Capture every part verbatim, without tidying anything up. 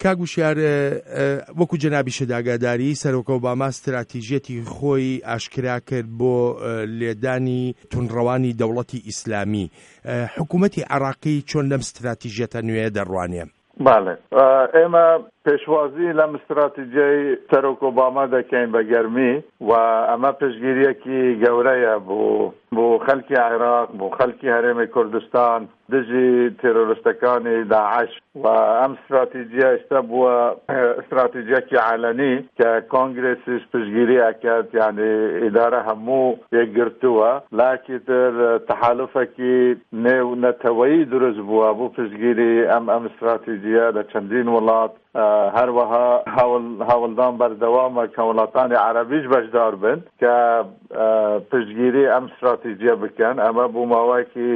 کاک وشیار، وەکو جەنابیشت ئاگاداری، سەرۆک ئۆباما ستراتیژیەتی خۆی ئاشکرا کرد بۆ لێدانی توندڕەوانی دەوڵەتی ئیسلامی. حکوومەتی عێراقی چۆن لەم ستراتیژیەتە نوێیە دەڕوانێ؟ بەڵێ، ئێمە پێشوازی لەم ستراتیجیەی سەرۆک ئۆباما دەکەین بە گەرمی و ئەمە پشتگیریەکی گەورەیە بۆ بۆ خەلکی عێراق، بۆ خەلکی هەرێمی کوردستان دژی تێرۆرستەکانی داعش و ئەم ستراتیجیە ئێستا بووە ستراتیجیەکی عالەنی کە کۆنگرێسیش پشتگیری ئەکات، یعنی ئیدارە هەموو یەکگرتووە. لاکی تر تەحالفێکی نێو نەتەوەیی دروست بووە بۆ پشتگیری ئەم ئەم ستراتیجیە لە چەندین وڵات. هەروەها هەوڵدان بەردەوامە کە وڵاتانی عەرەبیش بەشدار بن کە پشتگیری ئەم ستراتیجیە بکەن. ئەمە بۆ ماوەیەکی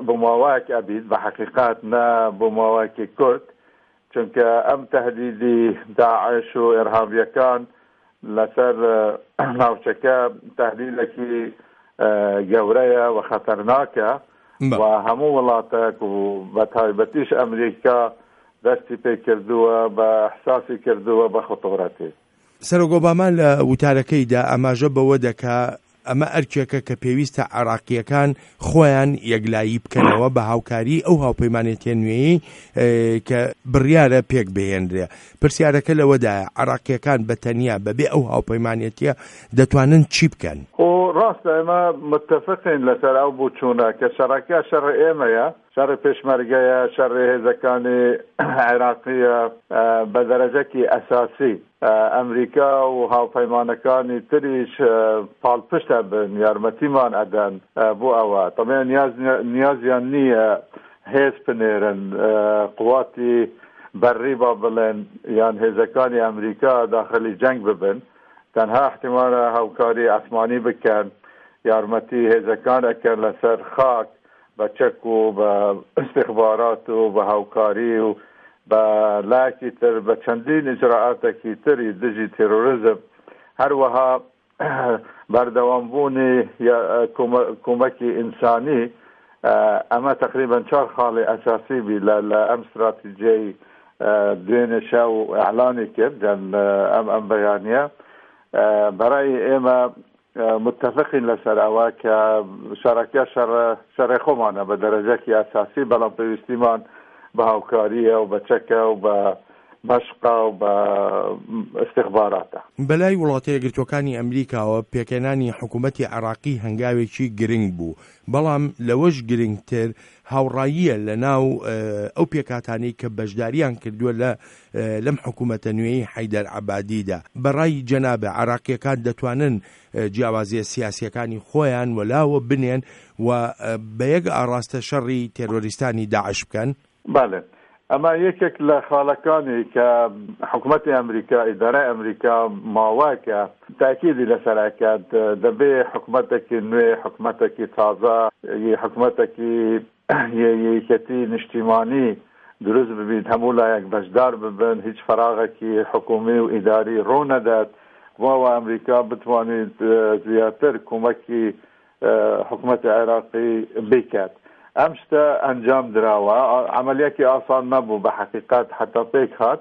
بۆ ماوەیەک ئەبیت بە حەقیقەت، نە بۆ ماوەیەکی کورت، چونکە ئەم تەهدیدی داعش و ئێرهابیەکان لەسەر ناوچەکە تەهدیدێکی گەورەیە و خەتەرناکە و هەموو وڵاتێک و بە تایبەتیش ئەمریکا دەستی پێکردووە بە احساسی کردووە بە خطورەتی. سەرۆک ئۆباما لە وتارەکەیدا ئاماژە بەوە دەکا ئەمە ئەرکێکە کە پێویستە عێراقییەکان خۆیان یەکلایی بکەنەوە بە هاوکاری ئەو هاوپەیمانێتیە نوێیەی کە بڕیارە پێک بهێنرێ. پرسیارەکە لەوەدایە عێراقییەکان بە تەنیا بەبێ ئەو هاوپەیمانێتیە دەتوانن چی بکەن؟ خۆ ڕاستە ئێمە متفقین لەسەر ئەو بۆچوونە کە شەڕەکە شەڕ ئێمەیە، شەڕی پێشمەرگەیە، شەڕی هێزەکانی عێراقیە بە دەرەجەکی ئەساسی. ئەمریکا و هاوپەیمانەکانی تریش پاڵپشتە بن، یارمەتیمان ئەدەن بۆ ئەوە. طبعا نیازیان نییە هێز بنێرن، قواتی بەرری با بڵێن یان هێزەکانی ئەمریکا داخلی جەنگ ببن، تەنها احتیمالە هاوکاری ئاسمانی بکەن، یارمەتی هێزەکان ئەکەن لەسەر خاک بە چەک و بە استخبارات و بە هاوکاری و بە لایەکی تر بە چەندین ئیجراعاتێکی تری دژی تێرۆریزم. هەروەها بەردەوامبوونی کۆمەکی ئینسانی، ئەمە تقریبا چوار خاڵی ئەساسی بی لە ئەم استراتیژیەی دوێنێ شەو ئیعلانی کرد ئەم ئەم بەیانیە. بەرای ئێمە متفقین لەسەر ئەوە کە شەڕەکە شەڕی خۆمانە بە دەرەجەکی ئەساسی، بەڵام پێویستیمان بە هاوکاریە و بە چەکە و بە مەشقە و بە استخباراتە. بەلای وڵاتە یەکگرتووەکانی ئەمریکاوە پێکهێنانی حکوومەتی عێراقی هەنگاوێکی گرنگ بوو، بەڵام لەوەش گرنگتر هاوڕاییە لە ناو ئەو پێکهاتانەی کە بەشداریان کردووە لە لەم حکوومەتە نوێی حەیدەر عەبادیدا. بەڕای جەنابە عێراقیەکان دەتوانن جیاوازیە سیاسیەکانی خۆیان وەلاوە بنێن و بە یەک ئاڕاستە شەڕی تێرۆریستانی داعش بکەن؟ بەڵێ، ئەمە یەکێک لە خاڵەکانی کە حکوومەتی ئەمریکا، ئیدارەی ئەمریکا ماوەکە تاکیدی لەسەر ئەکات، دەبێ حکوومەتێکی نوێ، حکوومەتێکی تازە، حکوومەتێکی یەکێتی نیشتیمانی دروست ببیت، هەموو لایەک بەشدار ببن، هیچ فراغێکی حکوومی و ئیداری ڕوو نەدات، بۆ ئەمریکا بتوانێت زیاتر کۆمەکی حکوومەتی عێراقی بکات. ئەم شتە ئەنجام دراوە، عملیەکی ئاسان نەبوو بە حەقیقەت حتا پێک هات،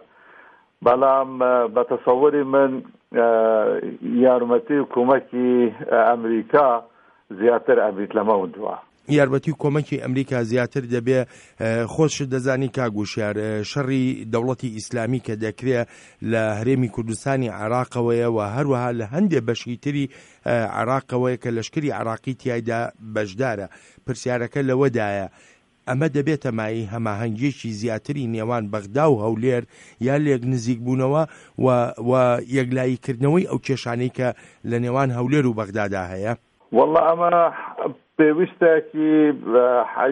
بەڵام بە تەسەوری من یارمەتی و کۆمەکی ئەمریکا زیاتر ئەبیت لەمە دووە. یارمەتی و کۆمەکی ئەمریکا زیاتر دەبێ. خۆشت دەزانی کاک وشیار، شەڕی دەوڵەتی ئیسلامی کە دەکرێ لە هەرێمی کوردستانی عێراقەوەیە و هەروەها لە هەندێ بەشی تری عێراقەوەیە کە لەشکری عێراقی تیایدا بەشدارە. پرسیارەکە لەوەدایە ئەمە دەبێتە مایەی هەماهەنگیەکی زیاتری نێوان بەغدا و هەولێر یا لێک نزیک بوونەوە و یەکلاییکردنەوەی ئەو کێشانەی کە لە نێوان هەولێر و بەغدادا هەیە؟ والله ئەمە پێویستێکی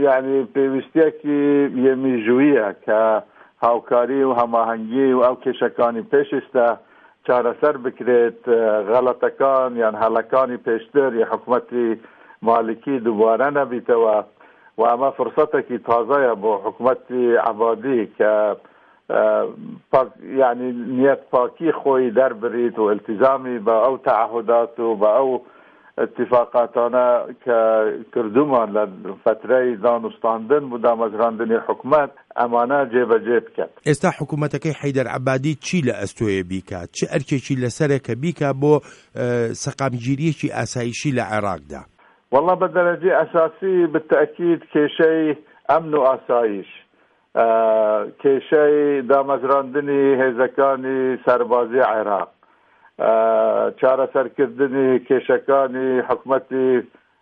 یعنی پێویستیەکی یەمیژویە کە هاوکاری و هەماهەنگی و ئەو کێشەکانی پێشستا چارەسەر بکرێت، غەڵەتەکان یان هەڵەکانی پێشتر یا حکوومەتی مالکی دووبارە نەبیتەوە و ئەمە فرسەتێکی تازەیە بۆ حکوومەتی عەبادی کە یعنی نیەت پاکی خۆی دەربریت و التزامی بە ئەو تەعهودات و بە ئەو اتفاقاتانە کە کردومان لە فترەی دانوستاندن بۆ دامەزراندنی حکومەت، ئەمانە جێبەجێ بکات. ئێستا حکوومەتەکەی حەیدەر عەبادی چی لە ئەستۆیە بیکات؟ چ ئەرکێکی لەسەرە کە بیکا بۆ سەقامگیرییەکی ئاسایشی لە عێراقدا؟ وەڵا بە دەرەجەی ئەساسی بالتەئکید کێشەی ئەمن و ئاسایش، کێشەی دامەزراندنی هێزەکانی سەربازی عێراق، چارەسەرکردنی کێشەکانی حکومەتی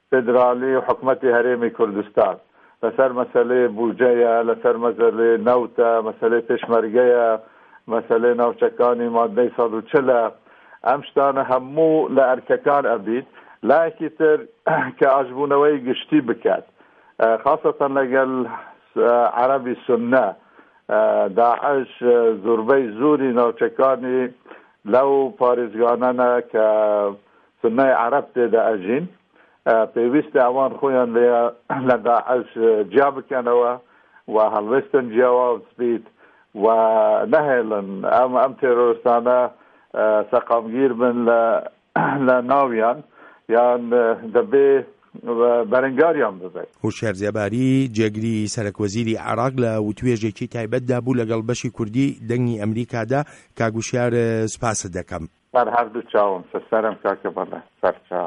فیدرالی و حکومەتی هەرێمی کوردستان لەسەر مەسەلەی بوجەیە، لەسەر مەسەلەی نەوتە، مەسەلەی پێشمەرگەیە، مەسەلەی ناوچەکانی مادەی سەد و چل ە، ئەم شتانە هەموو لە ئەرکەکان ئەبیت. لایەکی تر کە ئاشبوونەوەی گشتی بکات خاسەتەن لەگەل عەرەبی سوننە، داعش زوربەی زوری ناوچەکانی لەو پارێزگانەنە کە سوننەی عەرەب تێدا ئەژین، پێویستە ئەوان خۆیان لێ لە داعش جیا بکەنەوە و هەڵوێستن جیاواز بیت و نەهێڵن ئەم ئەم تێرۆرستانە سەقامگیر بن لە لە ناویان یان دەبێ بەرەنگاریان ببێت. هوشیار زێباری، جێگری سەرەکوەزیری عێراق لە وتوێژێکی تایبەتدا بوو لەگەڵ بەشی کوردی دەنگی ئەمریکادا. کاک وشیار سوپاست دەکەم. سەر هەردوو چاوم، سەرم کاکە بەڵێ سەرچاو.